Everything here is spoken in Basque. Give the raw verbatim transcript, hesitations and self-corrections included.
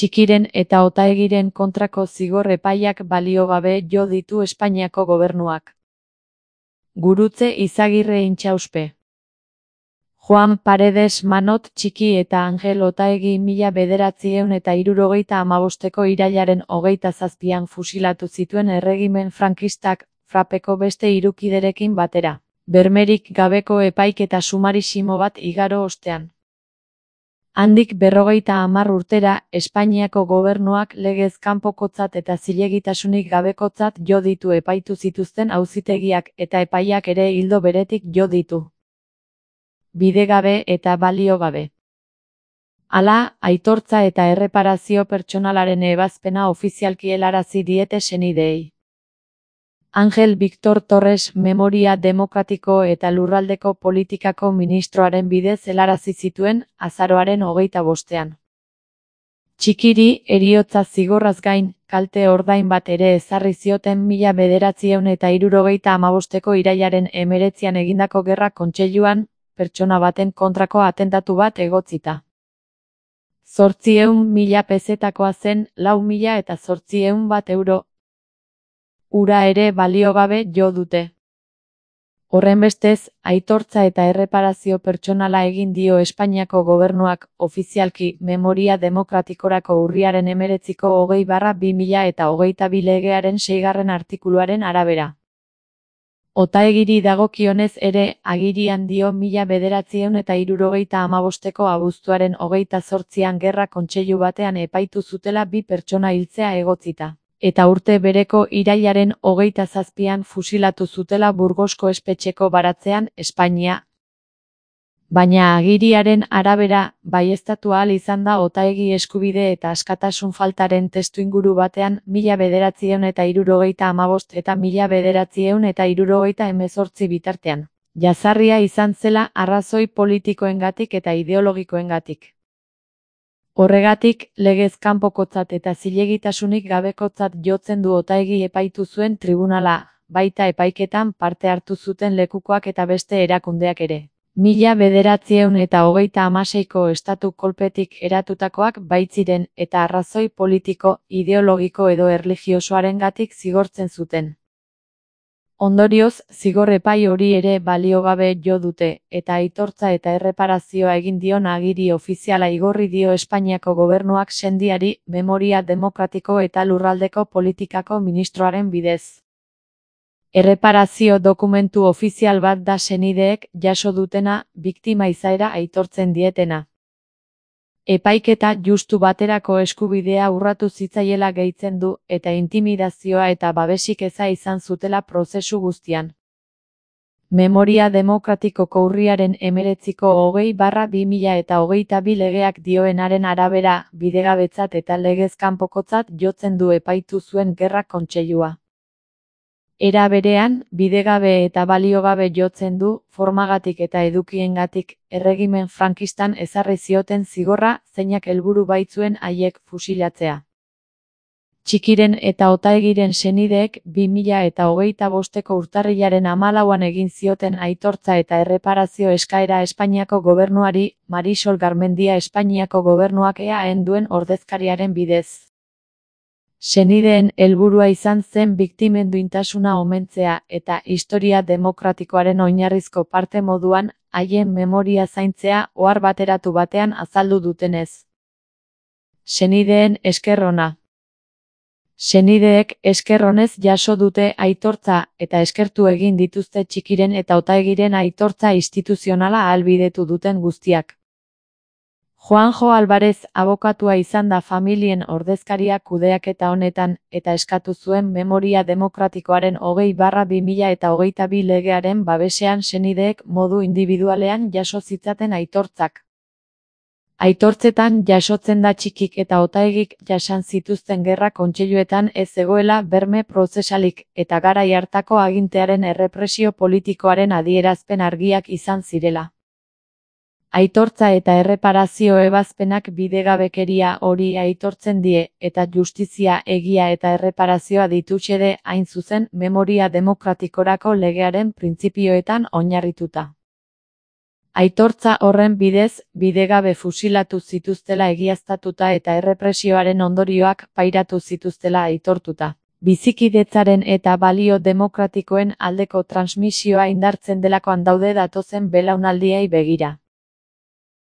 Txikiren eta Otaegiren kontrako zigor epaiak balio gabe jo ditu Espainiako gobernuak. Gurutze Izagirre Intxauspe. Juan Paredes Manot Txiki eta Angel Otaegi mila bederatziehun eta hirurogeita hamabosteko irailaren hogeita zazpian fusilatu zituen erregimen frankistak, frapeko beste hiru kiderekin batera, bermerik gabeko epaiketa sumarisimo bat igaro ostean. Handik berrogeita hamar urtera, Espainiako gobernuak legez kanpokotzat eta zilegitasunik gabekotzat jo ditu epaitu zituzten auzitegiak eta epaiak ere ildo beretik jo ditu. Bidegabe eta balio gabe. Hala, aitortza eta erreparazio pertsonalaren ebazpena ofizialki helarazi diete senideei. Angel Victor Torres Memoria Demokratiko eta Lurraldeko Politikako ministroaren bidez helarazi zituen, azaroaren hogeita bostean. Txikiri, heriotza zigorraz gain, kalte ordain bat ere ezarri zioten mila bederatziehun eta hirurogeita hamabosteko irailaren hemeretzian egindako gerra kontseiluan, pertsona baten kontrako atentatu bat egotzita. Zortziehun mila pezetakoa zen, lau mila eta zortziehun bat euro. Ura ere baliogabe jo dute. Horrenbestez, aitortza eta erreparazio pertsonala egin dio Espainiako gobernuak, ofizialki, Memoria Demokratikorako urriaren hemeretziko hogei barra bi mila eta hogeita bi legearen seigarren artikuluaren arabera. Otaegiri dagokionez ere, agirian dio mila bederatziehun eta hirurogeita hamabosteko abuztuaren hogeita zortzian gerra kontseilu batean epaitu zutela bi pertsona hiltzea egotzita, eta urte bereko irailaren hogeita zazpian fusilatu zutela Burgosko espetxeko baratzean, Espainia. Baina agiriaren arabera, baieztatu ahal izan da Otaegi eskubide eta askatasun faltaren testuinguru batean mila bederatziehun eta hirurogeita hamabost eta mila bederatziehun eta hirurogeita hemezortzi bitartean. Jazarria izan zela arrazoi politikoengatik eta ideologikoengatik. Horregatik, legez kanpokotzat eta zilegitasunik gabekotzat jotzen du Otaegi epaitu zuen tribunala, baita epaiketan parte hartu zuten lekukoak eta beste erakundeak ere. Mila bederatziehun eta hogeita hamaseiko estatu kolpetik eratutakoak baitziren eta arrazoi politiko, ideologiko edo erlijiosoarengatik zigortzen zuten. Ondorioz, zigor epai hori ere baliogabe jo dute, eta aitortza eta erreparazioa egin dion agiri ofiziala igorri dio Espainiako gobernuak sendiari, Memoria Demokratiko eta Lurraldeko Politikako ministroaren bidez. Erreparazio dokumentu ofizial bat da senideek jaso dutena, biktima izaera aitortzen dietena. Epaiketa justu baterako eskubidea urratu zitzaiela gehitzen du, eta intimidazioa eta babesik eza izan zutela prozesu guztian. Memoria Demokratikoko urriaren hemeretziko hogei barra bi mila eta hogeita bi legeak dioenaren arabera, bidegabetzat eta legez kanpokotzat jotzen du epaitu zuen gerra kontseilua. Era berean, bidegabe eta baliogabe jotzen du, formagatik eta edukiengatik, erregimen frankistan ezarri zioten zigorra, zeinak helburu baitzuen haiek fusilatzea. Txikiren eta Otaegiren senideek bi mila eta hogeita bosteko urtarrilaren hamalauan egin zioten aitortza eta erreparazio eskaera Espainiako gobernuari, Marisol Garmendia Espainiako gobernuak E A en duen ordezkariaren bidez. Senideen helburua izan zen biktimen duintasuna omentzea eta historia demokratikoaren oinarrizko parte moduan, haien memoria zaintzea ohar bateratu batean azaldu dutenez. Senideen esker ona. Senideek esker onez jaso dute aitortza eta eskertu egin dituzte Txikiren eta Otaegiren aitortza instituzionala ahalbidetu duten guztiak. Juanjo Alvarez abokatua izan da familien ordezkaria kudeaketa honetan eta eskatu zuen Memoria Demokratikoaren hogei barra bi mila eta hogeita bi legearen babesean senideek modu indibidualean jaso zitzaten aitortzak. Aitortzetan jasotzen da Txikik eta Otaegik jasan zituzten gerra kontseiluetan ez zegoela berme prozesalik eta garai hartako agintearen errepresio politikoaren adierazpen argiak izan zirela. Aitortza eta erreparazio ebazpenak bidegabekeria hori aitortzen die, eta justizia, egia eta erreparazioa ditutxede hain zuzen Memoria Demokratikorako legearen printzipioetan oinarrituta. Aitortza horren bidez, bidegabe fusilatu zituztela egiaztatuta eta errepresioaren ondorioak pairatu zituztela aitortuta. Bizikidetzaren eta balio demokratikoen aldeko transmisioa indartzen delakoan daude datozen belaunaldiei begira.